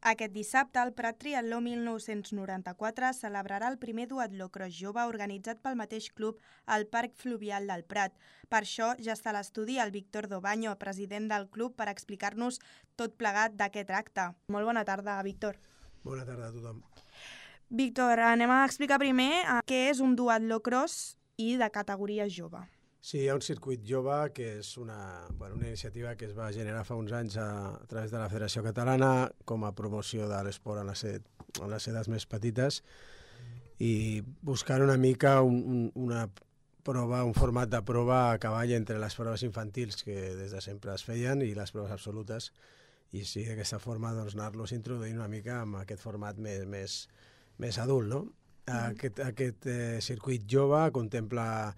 Aquest dissabte, el Prat Triatló 1994 celebrarà el primer duatló cross jove organitzat pel mateix club al Parc Fluvial del Prat. Per això ja està a l'estudi el Víctor Dobaño, president del club, per explicar-nos tot plegat d'aquest acte. Molt bona tarda, Víctor. Bona tarda a tothom. Víctor, anem a explicar primer què és un duatló cross i de categoria jove. Sí, hi ha un circuit jove que és una iniciativa que es va generar fa uns anys a través de la Federació Catalana com a promoció de l'esport en les edats més petites i buscant una mica una prova, un format de prova a cavall entre les proves infantils que des de sempre es feien i les proves absolutes, i sí, d'aquesta forma anar-los introduint una mica amb aquest format més adult, no? Aquest circuit jove contempla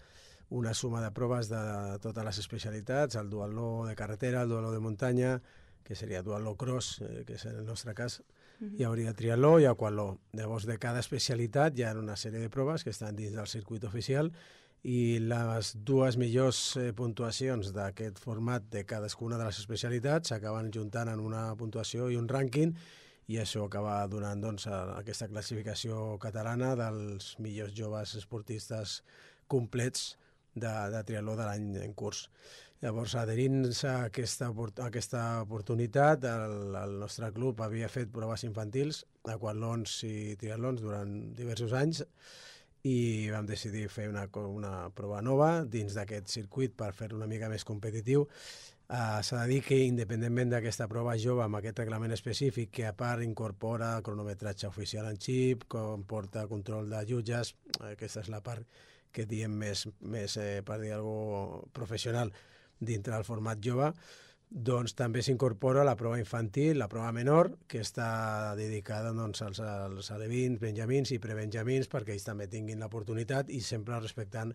una suma de proves de totes les especialitats, el duatló de carretera, el duatló de muntanya, que seria duatló cross, que és en el nostre cas, hi hauria triatló i aquatló. Llavors, de cada especialitat hi ha una sèrie de proves que estan dins del circuit oficial i les dues millors puntuacions d'aquest format de cadascuna de les especialitats s'acaben juntant en una puntuació i un rànquing, i això acaba donant aquesta classificació catalana dels millors joves esportistes complets de triatló de l'any en curs. Llavors, adherint-se a aquesta oportunitat, el nostre club havia fet proves infantils, aquatlons i triatlons durant diversos anys, i vam decidir fer una prova nova dins d'aquest circuit per fer-lo una mica més competitiu. S'ha de dir que, independentment d'aquesta prova jove amb aquest reglament específic, que a part incorpora cronometratge oficial en xip, comporta control de jutges, aquesta és la part que diem més per dir alguna cosa professional dintre del format jove, doncs també s'incorpora la prova infantil, la prova menor, que està dedicada als alevins, benjamins i prebenjamins, perquè ells també tinguin l'oportunitat i sempre respectant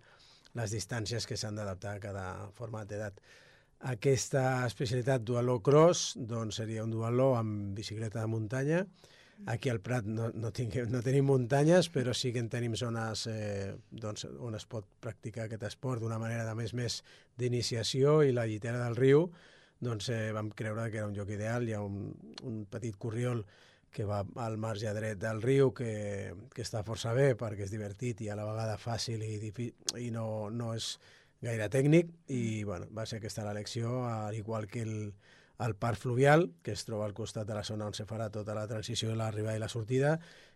les distàncies que s'han d'adaptar a cada format d'edat. Aquesta especialitat duatló cross seria un duatló amb bicicleta de muntanya. Aquí al Prat no tenim muntanyes, però sí que en tenim zones on es pot practicar aquest esport d'una manera de més d'iniciació, i la Llitera del Riu vam creure que era un lloc ideal. Hi ha un petit corriol que va al marge dret del riu que està força bé perquè és divertit i a la vegada fàcil i no és gaire tècnic, i va ser aquesta l'elecció, al igual que el Parc Fluvial, que es troba al costat de la zona on se farà tota la transició, l'arribada i la sortida,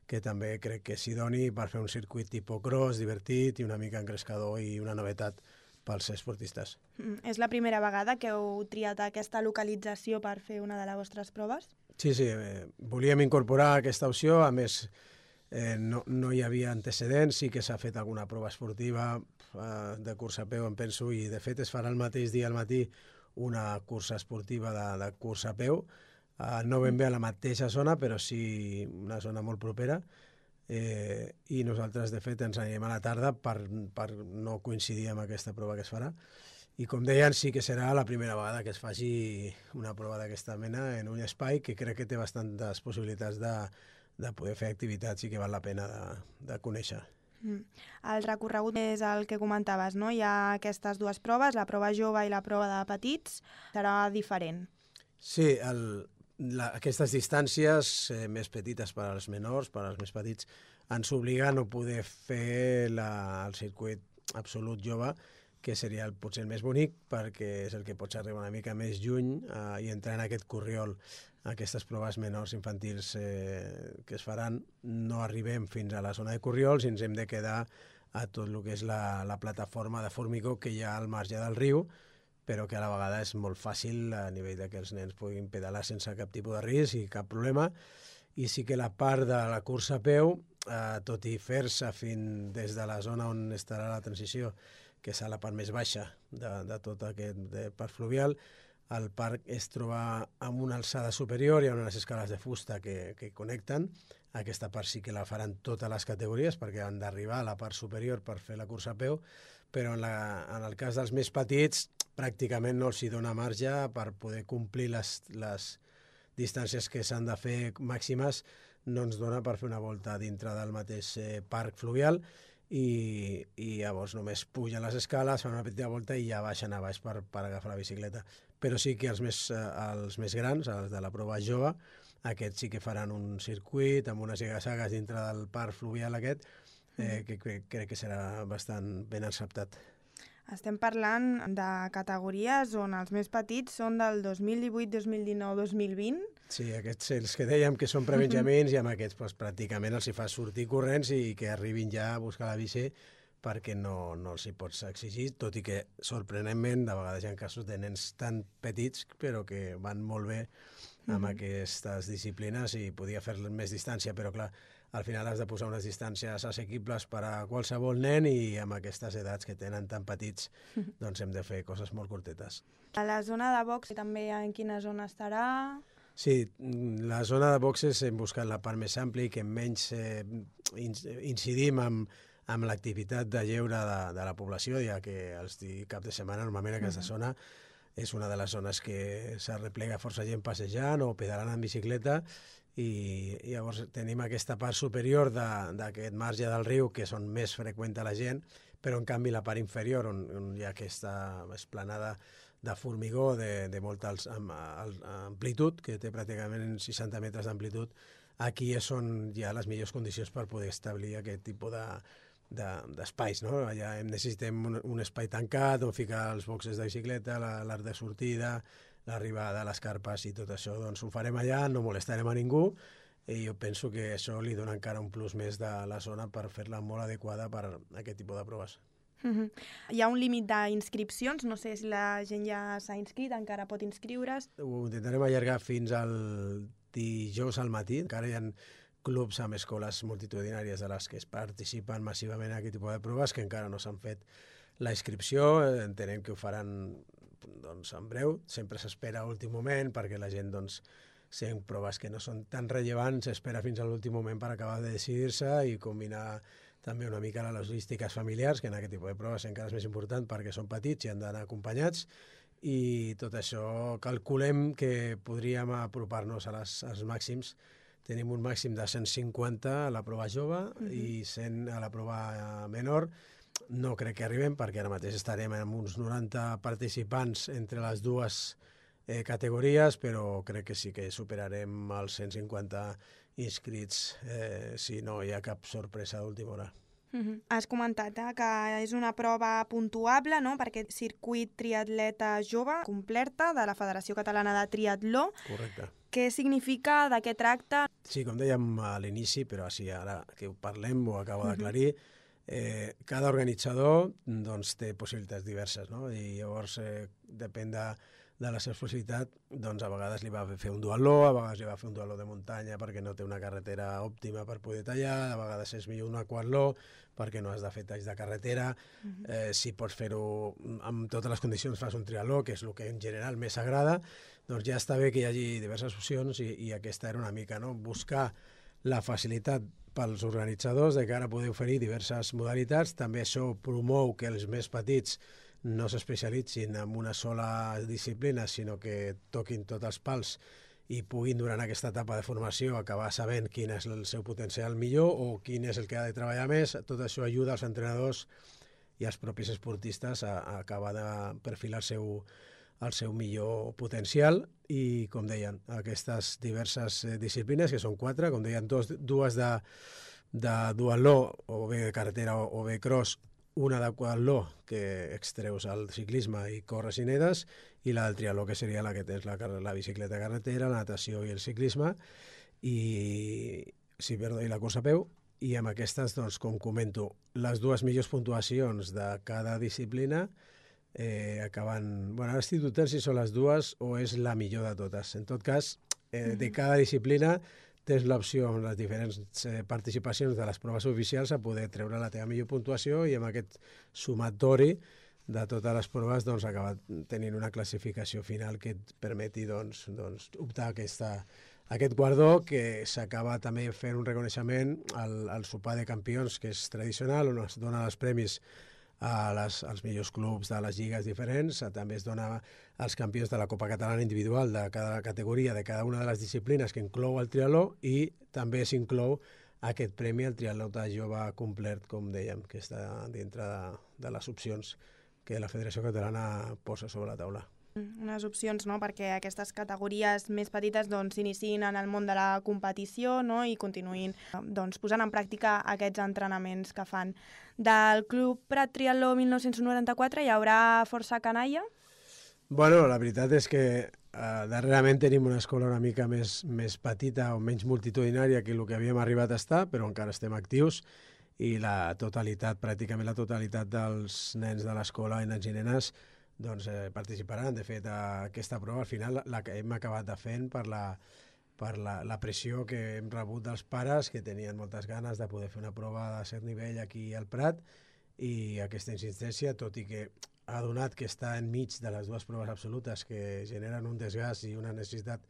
que també crec que és idoni per fer un circuit tipus cross, divertit i una mica engrescador i una novetat pels esportistes. És la primera vegada que heu triat aquesta localització per fer una de les vostres proves? Sí, volíem incorporar aquesta opció, a més no hi havia antecedents, sí que s'ha fet alguna prova esportiva de cursa a peu, em penso, i de fet es farà el mateix dia al matí una cursa esportiva de cursa a peu, no ben bé a la mateixa zona, però sí una zona molt propera, i nosaltres de fet ens anirem a la tarda per no coincidir amb aquesta prova que es farà. I com deien, sí que serà la primera vegada que es faci una prova d'aquesta mena en un espai que crec que té bastantes possibilitats de poder fer activitats i que val la pena de conèixer. El recorregut és el que comentaves, no? Hi ha aquestes dues proves, la prova jove i la prova de petits, serà diferent. Sí, aquestes distàncies més petites per als menors, per als més petits, ens obliga a no poder fer el circuit absolut jove, que seria potser el més bonic, perquè és el que pots arribar una mica més lluny i entrar en aquest corriol. Aquestes proves menors infantils que es faran no arribem fins a la zona de corriols i ens hem de quedar a tot el que és la plataforma de formigó que hi ha al marge del riu, però que a la vegada és molt fàcil a nivell que els nens puguin pedalar sense cap tipus de risc i cap problema. I sí que la part de la cursa a peu, tot i fer-se des de la zona on estarà la transició, que és a la part més baixa de tot aquest parc fluvial, el parc es troba amb una alçada superior, hi ha unes escales de fusta que connecten. Aquesta part sí que la faran totes les categories perquè han d'arribar a la part superior per fer la cursa a peu, però en el cas dels més petits pràcticament no els hi dona marge per poder complir les distàncies que s'han de fer màximes, no ens dona per fer una volta dintre del mateix parc fluvial, i llavors només pugen les escales, fan una petita volta i ja baixen a baix per agafar la bicicleta. Però sí que els més grans, els de la prova jove, aquests sí que faran un circuit amb unes ziga-zagues dintre del parc fluvial aquest, que crec que serà bastant ben acceptat. Estem parlant de categories on els més petits són del 2018, 2019, 2020. Sí, aquests els que dèiem que són prebenjamins i amb aquests doncs, pràcticament els hi fa sortir corrents i que arribin ja a buscar la bici perquè no els hi pots exigir, tot i que sorprenentment de vegades hi ha casos de nens tan petits però que van molt bé amb aquestes disciplines i podia fer més distància, però clar, al final has de posar unes distàncies assequibles per a qualsevol nen i amb aquestes edats que tenen tan petits doncs hem de fer coses molt curtetes. A la zona de box també en quina zona estarà? Sí, la zona de boxes hem buscat la part més àmplia i que menys incidim amb l'activitat de lleure de la població, ja que els cap de setmana normalment aquesta zona és una de les zones que s'arreplega força gent passejant o pedalant en bicicleta i llavors tenim aquesta part superior d'aquest marge del riu que són més freqüent a la gent, però en canvi la part inferior on hi ha aquesta esplanada de formigó de molta amplitud, que té pràcticament 60 metres d'amplitud, aquí és on hi ha les millors condicions per poder establir aquest tipus d'espais, no? Allà necessitem un espai tancat on ficar els boxes de bicicleta, l'arc de sortida, l'arribada, les carpes i tot això, doncs ho farem allà, no molestarem a ningú i jo penso que això li dona encara un plus més de la zona per fer-la molt adequada per a aquest tipus de proves. Hi ha un límit d'inscripcions? No sé si la gent ja s'ha inscrit, encara pot inscriure's. Ho intentarem allargar fins al dijous al matí. Encara hi ha clubs amb escoles multitudinàries de les que es participen massivament en aquest tipus de proves que encara no s'han fet la inscripció. Entenem que ho faran doncs, en breu. Sempre s'espera a l'últim moment perquè la gent, doncs, sent proves que no són tan rellevants, s'espera fins a l'últim moment per acabar de decidir-se i combinar també una mica les logístiques familiars, que en aquest tipus de proves encara és més important perquè són petits i han d'anar acompanyats, i tot això calculem que podríem apropar-nos als màxims. Tenim un màxim de 150 a la prova jove i 100 a la prova menor. No crec que arribem perquè ara mateix estarem amb uns 90 participants entre les dues categories, però crec que sí que superarem els 150 inscrits si no hi ha cap sorpresa d'última hora. Has comentat que és una prova puntuable, no?, per aquest circuit triatleta jove completa de la Federació Catalana de Triatló. Correcte. Què significa, de què tracta? Sí, com dèiem a l'inici, però així ara que ho parlem ho acabo d'aclarir, cada organitzador doncs, té possibilitats diverses, no? I llavors depèn de la seva possibilitat, doncs a vegades li va fer un duatló, a vegades li va fer un duatló de muntanya perquè no té una carretera òptima per poder tallar, a vegades és millor un aquatló perquè no has de fer talls de carretera. Si pots fer-ho amb totes les condicions, fas un triatló, que és el que en general més agrada, doncs ja està bé que hi hagi diverses opcions i aquesta era una mica, no?, buscar la facilitat pels organitzadors de cara a poder oferir diverses modalitats. També això promou que els més petits no s'especialitzin en una sola disciplina, sinó que toquin tots els pals i puguin durant aquesta etapa de formació acabar sabent quin és el seu potencial millor o quin és el que ha de treballar més. Tot això ajuda als entrenadors i als propis esportistes a acabar de perfilar el seu millor potencial i, com deien, aquestes diverses disciplines, que són 4, com deien, dues de duatló, o bé de carretera o bé cross, una d'aquatló, que extreus al ciclisme i corres i nedes, i la del triatló, que seria la que tens la bicicleta carretera, la natació i el ciclisme, i la cursa a peu. I amb aquestes, doncs, com comento, les dues millors puntuacions de cada disciplina acaben... Bueno, ara estic dubtant si són les dues o és la millor de totes. En tot cas, de cada disciplina tens l'opció amb les diferents participacions de les proves oficials a poder treure la teva millor puntuació i amb aquest sumatori de totes les proves doncs, acabar tenint una classificació final que et permeti doncs, optar a aquest guardó, que s'acaba també fent un reconeixement al sopar de campions, que és tradicional, on es dona els premis als millors clubs de les lligues diferents. També es dona als campions de la Copa Catalana individual de cada categoria, de cada una de les disciplines que inclou el triatló, i també s'inclou aquest premi al triatleta jove complet, com dèiem, que està dintre de les opcions que la Federació Catalana posa sobre la taula. Unes opcions, no?, perquè aquestes categories més petites doncs s'iniciïn en el món de la competició, no?, i continuïn doncs posant en pràctica aquests entrenaments que fan. Del Club Prat Triatló 1994 hi haurà força canalla? Bueno, la veritat és que darrerament tenim una escola una mica més petita o menys multitudinària que el que havíem arribat a estar, però encara estem actius i pràcticament la totalitat dels nens de l'escola i nens i nenes doncs, participaran. De fet, aquesta prova al final la que hem acabat de fent per la pressió que hem rebut dels pares que tenien moltes ganes de poder fer una prova de cert nivell aquí al Prat i aquesta insistència, tot i que ha donat que està enmig de les dues proves absolutes que generen un desgast i una necessitat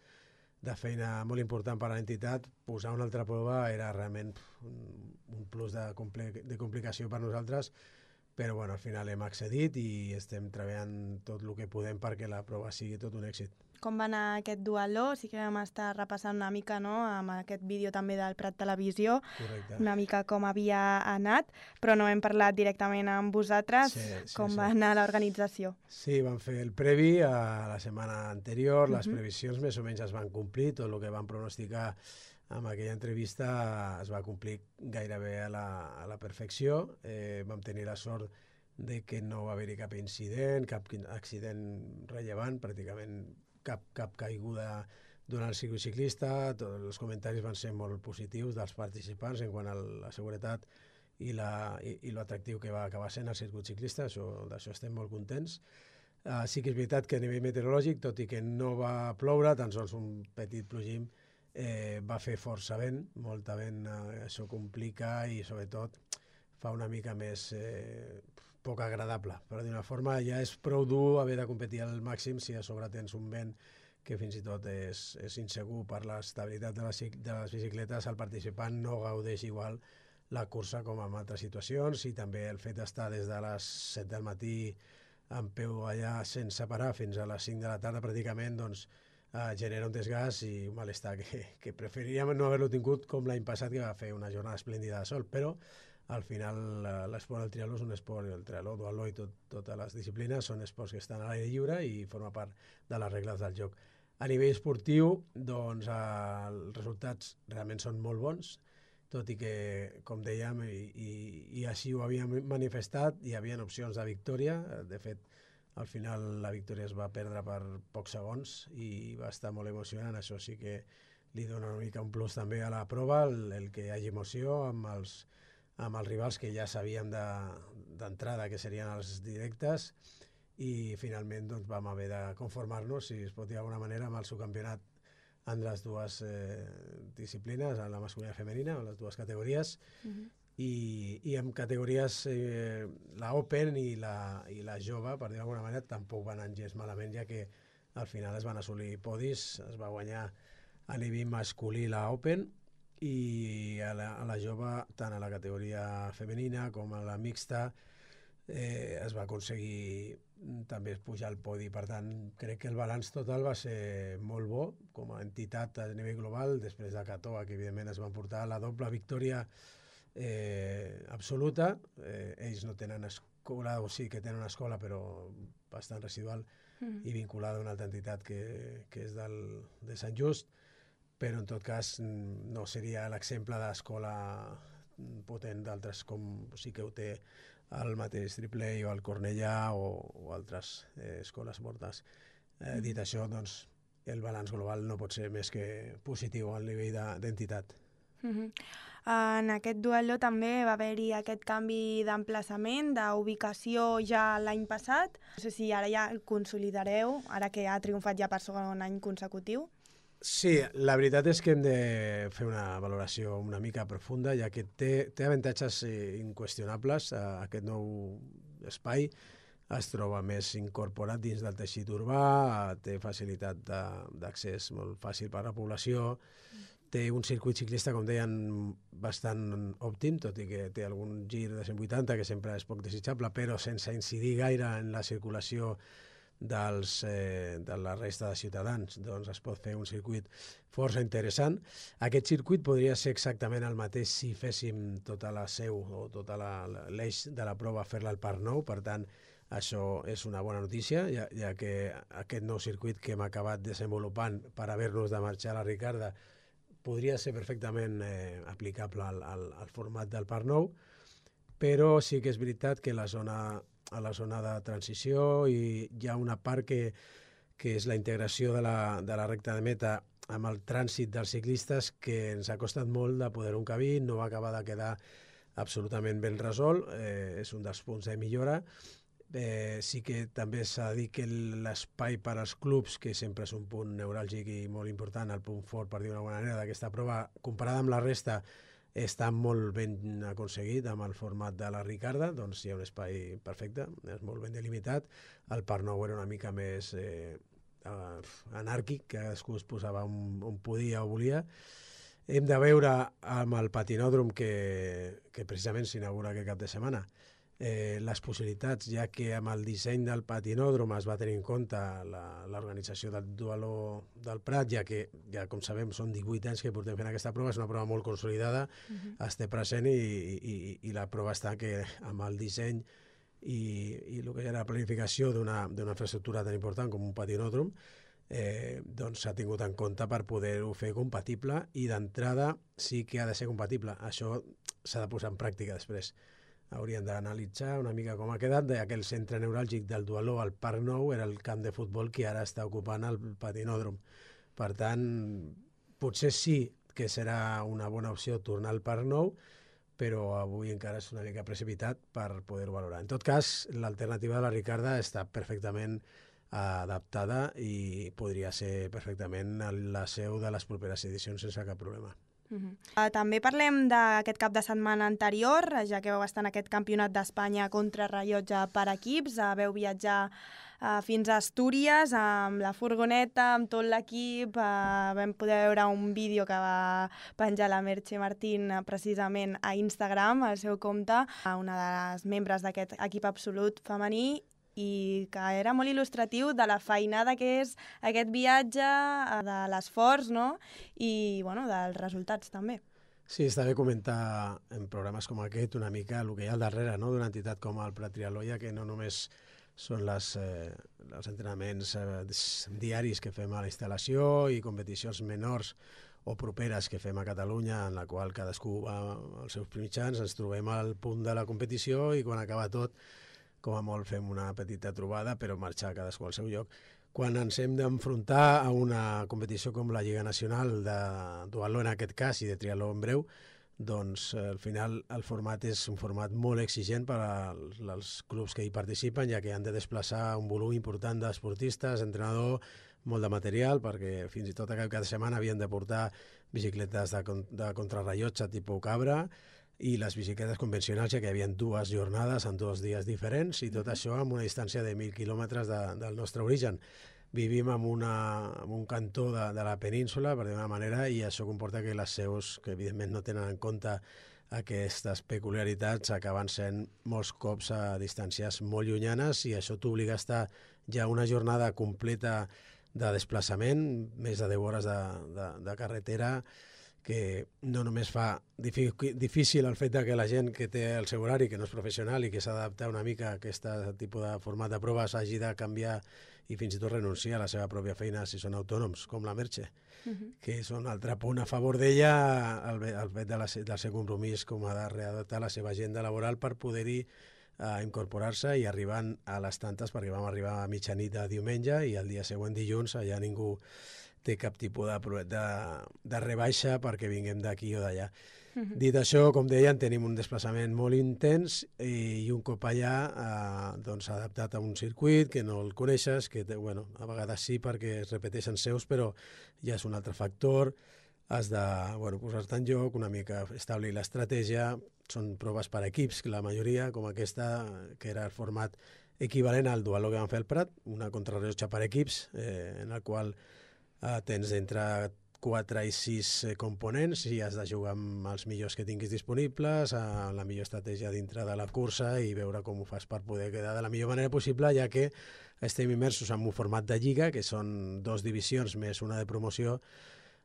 de feina molt important per a l'entitat, posar una altra prova era realment un plus de complicació per nosaltres, però bueno, al final hem accedit i estem treballant tot el que podem perquè la prova sigui tot un èxit. Com va anar aquest duatló? Sí que vam estar repassant una mica, no?, amb aquest vídeo també del Prat Televisió. Correcte. Una mica com havia anat, però no hem parlat directament amb vosaltres. Com va anar l'organització? Sí, vam fer el previ a la setmana anterior, les previsions més o menys es van complir, tot el que vam pronosticar amb aquella entrevista es va complir gairebé a la perfecció. Vam tenir la sort de que no va haver-hi cap incident, cap accident rellevant, pràcticament cap caiguda durant el circuit ciclista. Tots els comentaris van ser molt positius dels participants en quant a la seguretat i l'atractiu que va acabar sent el circuit ciclista, d'això estem molt contents. Sí que és veritat que a nivell meteorològic, tot i que no va ploure, tan sols un petit plogim, va fer força vent, molta vent, això complica i sobretot fa una mica més poc agradable, però d'una forma ja és prou dur haver de competir al màxim si a sobre tens un vent que fins i tot és insegur per l'estabilitat de les bicicletes. El participant no gaudeix igual la cursa com en altres situacions i també el fet d'estar des de les 7 del matí en peu allà sense parar fins a les 5 de la tarda pràcticament, doncs genera un desgast i un malestar que preferiríem no haver-lo tingut com l'any passat, que va fer una jornada esplèndida de sol, però al final l'esport del triatló és un esport, el triatló, duatló i totes les disciplines són esports que estan a l'aire lliure i forma part de les regles del joc. A nivell esportiu, doncs, els resultats realment són molt bons, tot i que, com dèiem, i així ho havíem manifestat, hi havia opcions de victòria. De fet, al final la victòria es va perdre per pocs segons i va estar molt emocionant. Això sí que li dona una mica un plus també a la prova, el que hi hagi emoció amb els rivals que ja sabíem d'entrada que serien els directes i finalment doncs, vam haver de conformar-nos, si es pot dir d'alguna manera, amb el subcampionat en les dues disciplines, en la masculina i femenina, en les dues categories, i en categories la Open i la jove, per dir d'alguna manera, tampoc van anar gens malament, ja que al final es van assolir podis, es va guanyar a nivell masculí la Open i a la jove, tant a la categoria femenina com a la mixta, es va aconseguir també pujar al podi. Per tant, crec que el balanç total va ser molt bo com a entitat a nivell global, després de Catoa, que evidentment es van portar la doble victòria absoluta. Ells no tenen escola, o sí que tenen una escola, però bastant residual i vinculada a una altra entitat que és de Sant Just, però en tot cas no seria l'exemple d'escola potent d'altres com sí que ho té el mateix Tripley o el Cornellà o altres escoles mortes. Dit això, doncs, el balanç global no pot ser més que positiu al nivell d'entitat. En aquest duatló també va haver-hi aquest canvi d'emplaçament, d'ubicació ja l'any passat. No sé si ara ja el consolidareu, ara que ha triomfat ja per segon any consecutiu. Sí, la veritat és que hem de fer una valoració una mica profunda, ja que té avantatges inqüestionables. Aquest nou espai es troba més incorporat dins del teixit urbà, té facilitat d'accés molt fàcil per a la població, té un circuit ciclista, com deien, bastant òptim, tot i que té algun gir de 180, que sempre és poc desitjable, però sense incidir gaire en la circulació de la resta de ciutadans, doncs es pot fer un circuit força interessant. Aquest circuit podria ser exactament el mateix si féssim tota la seu o tota l'eix de la prova fer-la al Parc Nou, per tant Això és una bona notícia, ja que aquest nou circuit que hem acabat desenvolupant per haver-nos de marxar a la Ricarda podria ser perfectament aplicable al format del Parc Nou, però sí que és veritat que a la zona de transició hi ha una part que és la integració de la recta de meta amb el trànsit dels ciclistes, que ens ha costat molt de poder-ho encabir, no va acabar de quedar absolutament ben resolt, és un dels punts de millora. Sí que també s'ha de dir que l'espai per als clubs, que sempre és un punt neuràlgic i molt important, el punt fort, per dir d'una manera, d'aquesta prova, comparada amb la resta, està molt ben aconseguit amb el format de la Ricarda, doncs hi ha un espai perfecte, és molt ben delimitat. El Parc Nou era una mica més anàrquic, que cadascú es posava on podia o volia. Hem de veure amb el patinòdrom que precisament s'inaugura aquest cap de setmana les possibilitats, ja que amb el disseny del patinòdrom es va tenir en compte l'organització del Dualó del Prat, ja que, com sabem, són 18 anys que portem fent aquesta prova, és una prova molt consolidada, es té present i la prova està que amb el disseny i el que era la planificació d'una infraestructura tan important com un patinòdrom, doncs s'ha tingut en compte per poder-ho fer compatible, i d'entrada sí que ha de ser compatible. Això s'ha de posar en pràctica després. Hauríem d'analitzar una mica com ha quedat, ja que el centre neuràlgic del Dualó al Parc Nou era el camp de futbol que ara està ocupant el patinòdrom. Per tant, potser sí que serà una bona opció tornar al Parc Nou, però avui encara és una mica precipitat per poder-ho valorar. En tot cas, l'alternativa de la Ricarda està perfectament adaptada i podria ser perfectament la seu de les properes edicions sense cap problema. També parlem d'aquest cap de setmana anterior, ja que vau estar en aquest campionat d'Espanya contrarrellotge per equips, vau viatjar fins a Astúries amb la furgoneta, amb tot l'equip. Vam poder veure un vídeo que va penjar la Merche Martín precisament a Instagram, al seu compte, una de les membres d'aquest equip absolut femení, i que era molt il·lustratiu de la feinada que és aquest viatge, de l'esforç, no? I bueno, dels resultats també. Sí, està bé comentar en programes com aquest una mica el que hi ha al darrere, no?, d'una entitat com el Prat Triatló, que no només són els entrenaments diaris que fem a la instal·lació i competicions menors o properes que fem a Catalunya, en la qual cadascú va als seus mitjans, ens trobem al punt de la competició i quan acaba tot, com a molt fem una petita trobada, però marxar cadascú al seu lloc. Quan ens hem d'enfrontar a una competició com la Lliga Nacional de duatló, en aquest cas, i de triatló en breu, doncs al final el format és un format molt exigent per als clubs que hi participen, ja que han de desplaçar un volum important d'esportistes, entrenador, molt de material, perquè fins i tot cada setmana havien de portar bicicletes de contrarrellotge tipus cabra, i les bicicletes convencionals, ja que hi havia 2 jornades en 2 dies diferents, i tot això amb una distància de 1.000 quilòmetres del nostre origen. Vivim en un cantó de la península, per dir d'una manera, i això comporta que les seus, que evidentment no tenen en compte aquestes peculiaritats, acaben sent molts cops a distàncies molt llunyanes, i això t'obliga a estar ja una jornada completa de desplaçament, més de 10 hores de carretera, que no només fa difícil el fet que la gent que té el seu horari, que no és professional i que s'ha d'adaptar una mica a aquest tipus de format de proves, hagi de canviar i fins i tot renunciar a la seva pròpia feina si són autònoms, com la Merche, que és un altre punt a favor d'ella, el fet del seu compromís com a de readaptar la seva agenda laboral per poder-hi incorporar-se i arribant a les tantes, perquè vam arribar a mitjanit de diumenge i el dia següent, dilluns, allà ningú té cap tipus de rebaixa perquè vinguem d'aquí o d'allà. Dit això, com deien, tenim un desplaçament molt intens i un cop allà doncs adaptat a un circuit que no el coneixes, que bueno, a vegades sí perquè es repeteixen seus, però ja és un altre factor. Has de posar-te en joc, una mica establir l'estratègia. Són proves per equips, la majoria, com aquesta, que era el format equivalent al duatló que vam fer al Prat, una contrarrellotge per equips, en el qual tens entre 4 i 6 components i has de jugar amb els millors que tinguis disponibles, amb la millor estratègia dintre de la cursa i veure com ho fas per poder quedar de la millor manera possible, ja que estem immersos en un format de lliga, que són 2 divisions més una de promoció.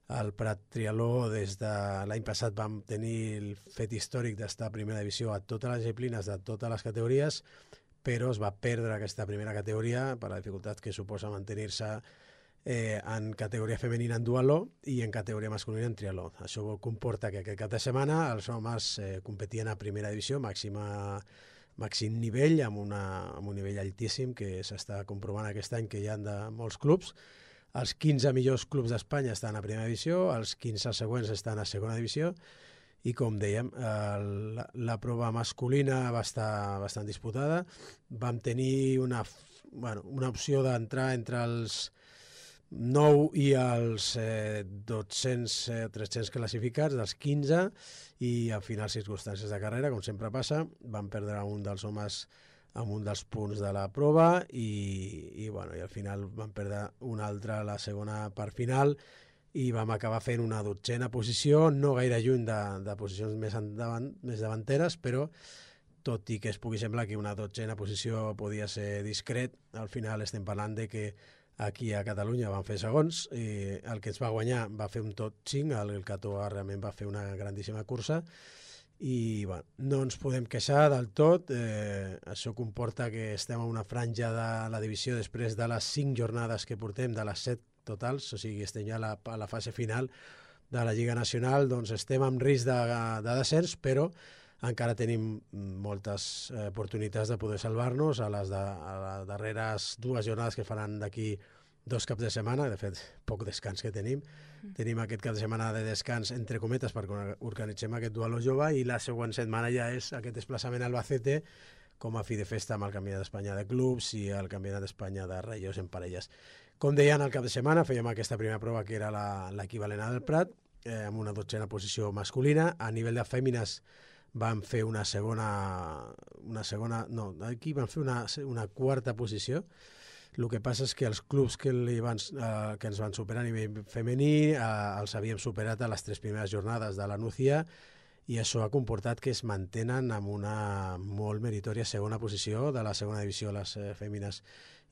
Al Prat Triatló, des de l'any passat, vam tenir el fet històric d'estar a primera divisió a totes les disciplines, de totes les categories, però es va perdre aquesta primera categoria per la dificultat que suposa mantenir-se en categoria femenina en duatló i en categoria masculina en triatló. Això comporta que aquest cap de setmana els homes competien a primera divisió, màxim nivell, amb un nivell altíssim que s'està comprovant aquest any que hi ha de molts clubs. Els 15 millors clubs d'Espanya estan a primera divisió, els 15 següents estan a segona divisió i, com dèiem, la prova masculina va estar bastant disputada. Vam tenir una opció d'entrar entre els 9 i els 300 classificats dels 15 i al final circumstàncies de carrera, com sempre passa, van perdre un dels homes amb un dels punts de la prova i al final van perdre un altre a la segona part final i vam acabar fent una 12a posició, no gaire lluny de posicions més davanteres, però tot i que es pugui semblar que una 12a posició podia ser discret, al final estem parlant de que aquí a Catalunya van fer segons, i el que ens va guanyar va fer un top 5, el Catoa realment va fer una grandíssima cursa i no ens podem queixar del tot. Això comporta que estem en una franja de la divisió després de les 5 jornades que portem, de les 7 totals, o sigui, estem ja a la fase final de la Lliga Nacional, doncs estem en risc de descens, però encara tenim moltes oportunitats de poder salvar-nos a les darreres 2 jornades que faran d'aquí 2 caps de setmana, de fet, poc descans que tenim. Tenim aquest cap de setmana de descans, entre cometes, perquè organitzem aquest duatló jove i la següent setmana ja és aquest desplaçament a Albacete com a fi de festa amb el Campionat d'Espanya de clubs i el Campionat d'Espanya de relleus en parelles. Com deien, al cap de setmana fèiem aquesta primera prova que era l'equivalent del Prat, amb una 12a posició masculina. A nivell de fèmines van fer una quarta posició. El que passa és que els clubs que ens van superar a nivell femení els havíem superat a les 3 primeres jornades de la Nucía i això ha comportat que es mantenen amb una molt meritòria segona posició de la segona divisió les fèmines,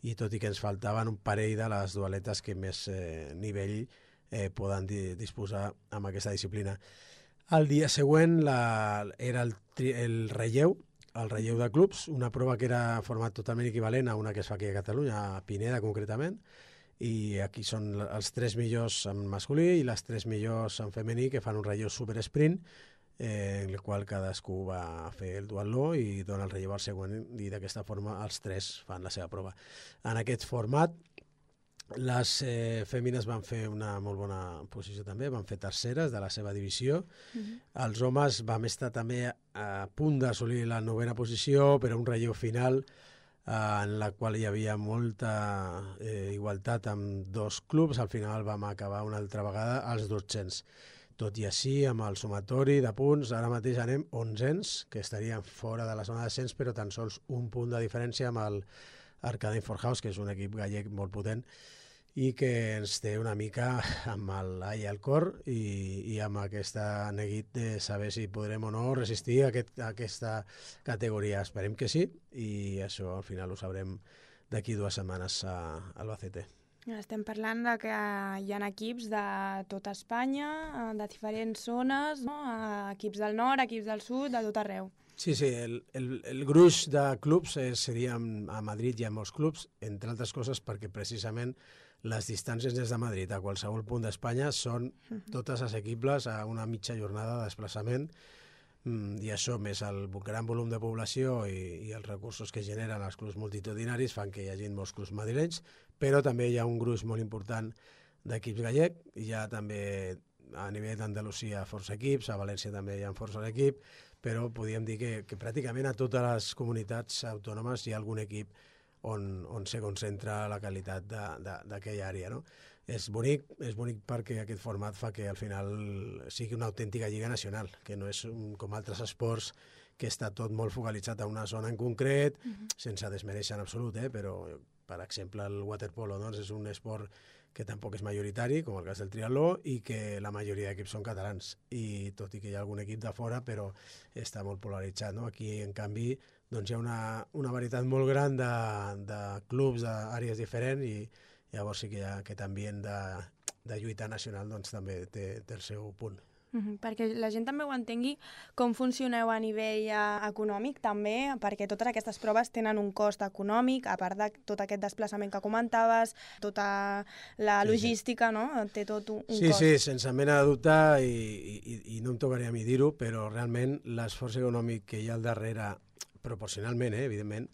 i tot i que ens faltaven un parell de les dualetes que més nivell poden disposar amb aquesta disciplina. El dia següent era el relleu de clubs, una prova que era format totalment equivalent a una que es fa aquí a Catalunya, a Pineda concretament, i aquí són els 3 millors en masculí i les 3 millors en femení que fan un relleu super sprint, en el qual cadascú va fer el duatló i dona el relleu al següent, i d'aquesta forma els 3 fan la seva prova. En aquest format les fèmines van fer una molt bona posició també, van fer terceres de la seva divisió. Els homes vam estar també a punt d'assolir la 9a posició, però un relleu final en la qual hi havia molta igualtat amb 2 clubs. Al final vam acabar una altra vegada als 200. Tot i així, amb el sumatori de punts, ara mateix anem 11ens, que estarien fora de la zona de descens, però tan sols un punt de diferència amb el Arcading Forhaus, que és un equip gallec molt potent i que ens té una mica amb l'all al cor i amb aquest neguit de saber si podrem o no resistir a aquesta categoria. Esperem que sí, i això al final ho sabrem d'aquí 2 setmanes a Albacete. Estem parlant de que hi ha equips de tota Espanya, de diferents zones, no? Equips del nord, equips del sud, de tot arreu. Sí, el gruix de clubs seria a Madrid, hi ha molts clubs, entre altres coses perquè precisament les distàncies des de Madrid a qualsevol punt d'Espanya són totes assequibles a una mitja jornada de desplaçament, i això més el gran volum de població i els recursos que generen els clubs multitudinaris fan que hi hagi molts clubs madrilenys, però també hi ha un gruix molt important d'equips gallec, hi ha també a nivell d'Andalusia força equips, a València també hi ha força equip, però podríem dir que pràcticament a totes les comunitats autònomes hi ha algun equip on se concentra la qualitat d'aquella àrea, no? És bonic perquè aquest format fa que al final sigui una autèntica lliga nacional, que no és com altres esports que està tot molt focalitzat a una zona en concret, sense desmereixer en absolut, però per exemple el waterpolo és un esport que tampoc és majoritari, com el cas del triatló, i que la majoria d'equips són catalans, i tot i que hi ha algun equip de fora, però està molt polaritzat, no? Aquí, en canvi, doncs hi ha una varietat molt gran de clubs d'àrees diferents, i llavors sí que hi ha aquest ambient de lluita nacional, doncs també té el seu punt. Perquè la gent també ho entengui com funcioneu a nivell econòmic també, perquè totes aquestes proves tenen un cost econòmic, a part de tot aquest desplaçament que comentaves, tota la logística, no? Té tot un cost. Sí, sense mena de dubte, i no em tocaria a mi dir-ho, però realment l'esforç econòmic que hi ha al darrere, proporcionalment, evidentment,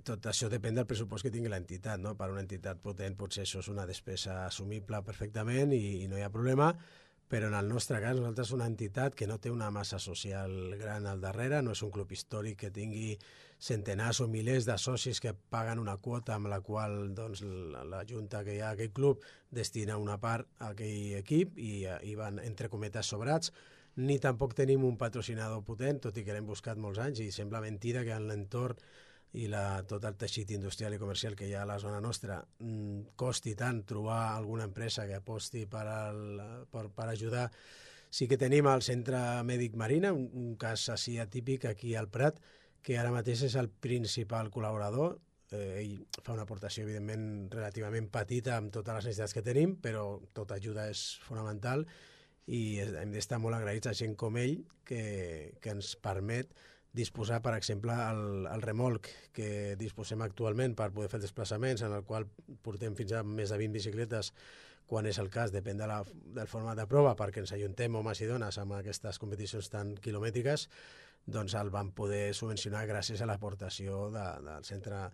tot això depèn del pressupost que tingui l'entitat, no? Per una entitat potent potser això és una despesa assumible perfectament i no hi ha problema, però en el nostre cas nosaltres una entitat que no té una massa social gran al darrere, no és un club històric que tingui centenars o milers de socis que paguen una quota amb la qual doncs, la junta que hi ha a aquell club destina una part a aquell equip i van entre cometes sobrats, ni tampoc tenim un patrocinador potent, tot i que l'hem buscat molts anys i sembla mentida que en l'entorn i tot el teixit industrial i comercial que hi ha a la zona nostra costi tant trobar alguna empresa que aposti per ajudar. Sí que tenim el Centre Mèdic Marina, un cas així atípic aquí al Prat, que ara mateix és el principal col·laborador. Ell fa una aportació, evidentment, relativament petita amb totes les necessitats que tenim, però tota ajuda és fonamental i hem d'estar molt agraïts a gent com ell que ens permet disposar, per exemple, el remolc que disposem actualment per poder fer els desplaçaments, en el qual portem fins a més de 20 bicicletes, quan és el cas, depèn del format de prova, perquè ens ajuntem homes i dones amb aquestes competicions tan quilomètriques, doncs el vam poder subvencionar gràcies a l'aportació del Centre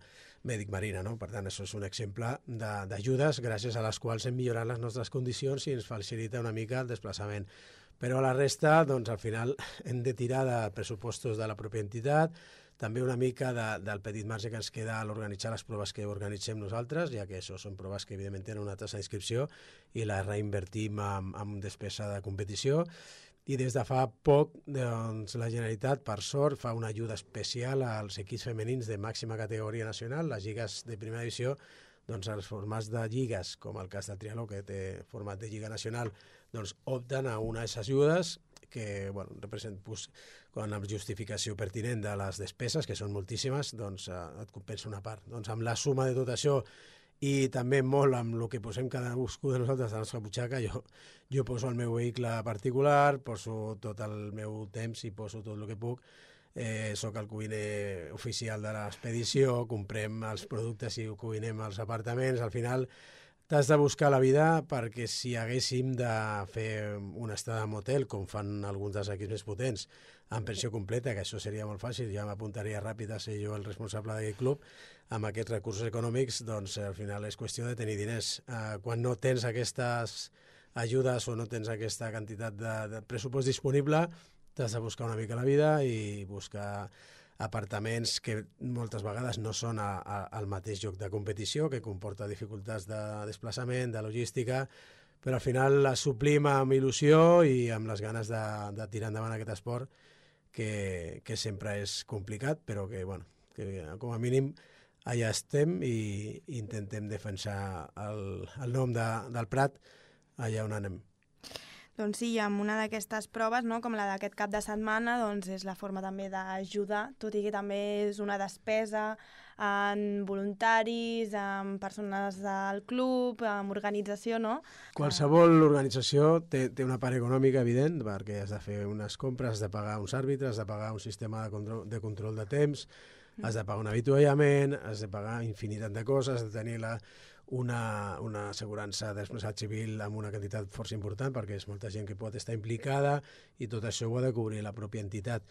Mèdic Marina, no? Per tant, això és un exemple d'ajudes gràcies a les quals hem millorat les nostres condicions i ens facilita una mica el desplaçament. Però a la resta, doncs, al final, hem de tirar de pressupostos de la pròpia entitat, també una mica del petit marge que ens queda a l'organitzar les proves que organitzem nosaltres, ja que això són proves que, evidentment, tenen una tassa d'inscripció i la reinvertim en despesa de competició. I des de fa poc, doncs, la Generalitat, per sort, fa una ajuda especial als equips femenins de màxima categoria nacional, les lligues de primera divisió, doncs els formats de lligues, com el cas del triatló, que té format de lliga nacional, doncs opten a unes ajudes que, bueno, quan amb justificació pertinent de les despeses, que són moltíssimes, doncs et compensa una part. Doncs amb la suma de tot això i també molt amb el que posem cadascú de nosaltres a la nostra butxaca, jo poso el meu vehicle particular, poso tot el meu temps i poso tot el que puc. Soc el cuiner oficial de l'expedició, comprem els productes i ho cuinem als apartaments. Al final t'has de buscar la vida, perquè si haguéssim de fer una estada en hotel, com fan alguns dels equips més potents, amb pensió completa, que això seria molt fàcil, ja m'apuntaria ràpid a ser jo el responsable d'aquest club, amb aquests recursos econòmics, doncs al final és qüestió de tenir diners. Quan no tens aquestes ajudes o no tens aquesta quantitat de pressupost disponible, t'has de buscar una mica la vida i buscar apartaments que moltes vegades no són al mateix lloc de competició, que comporta dificultats de desplaçament, de logística, però al final la suplim amb il·lusió i amb les ganes de tirar endavant aquest esport, que sempre és complicat, però que, bueno, que com a mínim allà estem i intentem defensar el nom del Prat allà on anem. Doncs sí, amb una d'aquestes proves, no, com la d'aquest cap de setmana, doncs és la forma també d'ajudar, tot i que també és una despesa en voluntaris, en persones del club, en organització, no? Qualsevol organització té una part econòmica evident, perquè has de fer unes compres, has de pagar uns àrbitres, has de pagar un sistema de control de temps, has de pagar un avituallament, has de pagar infinitat de coses, has de tenir una assegurança de responsabilitat civil amb una quantitat força important, perquè és molta gent que pot estar implicada i tot això ho ha de cobrir la pròpia entitat.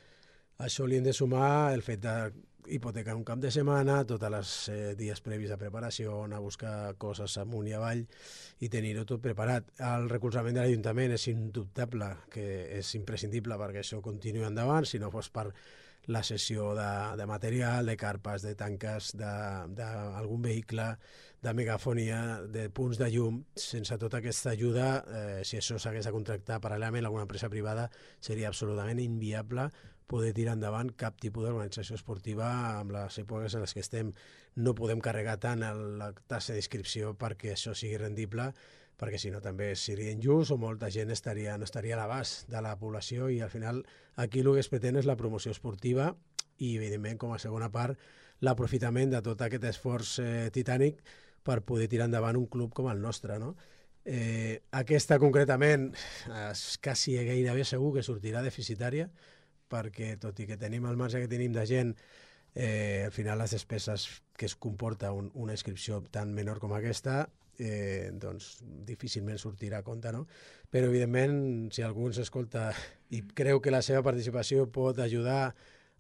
Això li hem de sumar el fet d'hipotecar un cap de setmana, tots els dies previs de preparació, anar a buscar coses amunt i avall i tenir-ho tot preparat. El recolzament de l'Ajuntament és indubtable, que és imprescindible perquè això continuï endavant, si no fos per la cessió de material, de carpes, de tanques, d'algun vehicle, de megafonia, de punts de llum. Sense tota aquesta ajuda, si això s'hagués de contractar paral·lelament a alguna empresa privada, seria absolutament inviable poder tirar endavant cap tipus d'organització esportiva amb les èpoques en les que estem. No podem carregar tant la tassa d'inscripció perquè això sigui rendible, perquè si no també seria injust o molta gent no estaria a l'abast de la població i al final aquí el que es pretén és la promoció esportiva i evidentment com a segona part l'aprofitament de tot aquest esforç titànic per poder tirar endavant un club com el nostre, no? Aquesta concretament és quasi gairebé segur que sortirà deficitària, perquè tot i que tenim el marge que tenim de gent, al final les despeses que es comporta una inscripció tan menor com aquesta, doncs difícilment sortirà a compte, no? Però evidentment, si algú ens escolta i creu que la seva participació pot ajudar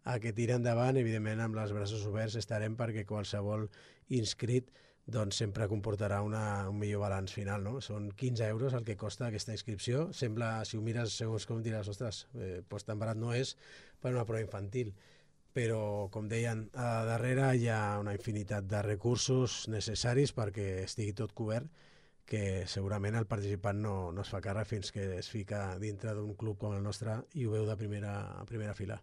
a que tiri endavant, evidentment amb els braços oberts estarem, perquè qualsevol inscrit doncs sempre comportarà un millor balanç final, no? Són 15 euros el que costa aquesta inscripció. Sembla, si ho mires segons com diràs, ostres, doncs tan barat no és per una prova infantil. Però, com deien, a darrere hi ha una infinitat de recursos necessaris perquè estigui tot cobert, que segurament el participant no es fa càrrec fins que es fica dintre d'un club com el nostre i ho veu de primera fila.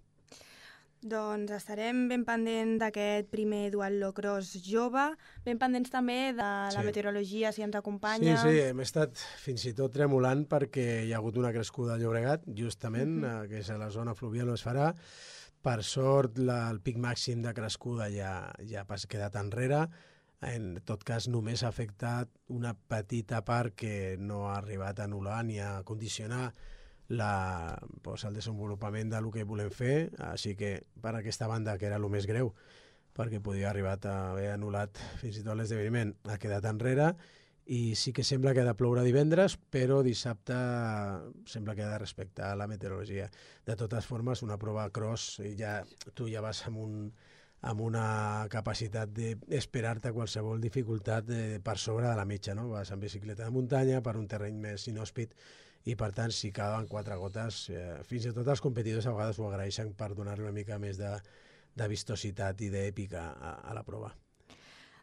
Doncs estarem ben pendents d'aquest primer duatlocross jove, ben pendents també de la meteorologia, si ens acompanya. Sí, hem estat fins i tot tremolant perquè hi ha hagut una crescuda al Llobregat, justament, que és a la zona fluvial on es farà. Per sort, el pic màxim de crescuda ja ha quedat enrere. En tot cas, només ha afectat una petita part que no ha arribat a anul·lar ni a condicionar el desenvolupament del que volem fer, així que per aquesta banda, que era el més greu, perquè podia haver anul·lat fins i tot l'esdeveniment, ha quedat enrere, i sí que sembla que ha de ploure divendres, però dissabte sembla que ha de respectar la meteorologia. De totes formes, una prova cross, tu ja vas amb una capacitat d'esperar-te qualsevol dificultat per sobre de la mitja, no? Vas en bicicleta de muntanya per un terreny més inhòspit i, per tant, si cauen 4 gotes, fins i tot els competidors a vegades ho agraeixen per donar-li una mica més de vistositat i d'èpica a la prova.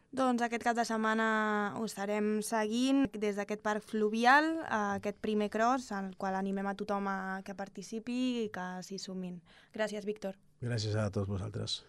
Doncs aquest cap de setmana ho estarem seguint des d'aquest parc fluvial, aquest primer cross, al qual animem a tothom que participi i que s'hi sumin. Gràcies, Víctor. Gràcies a tots vosaltres.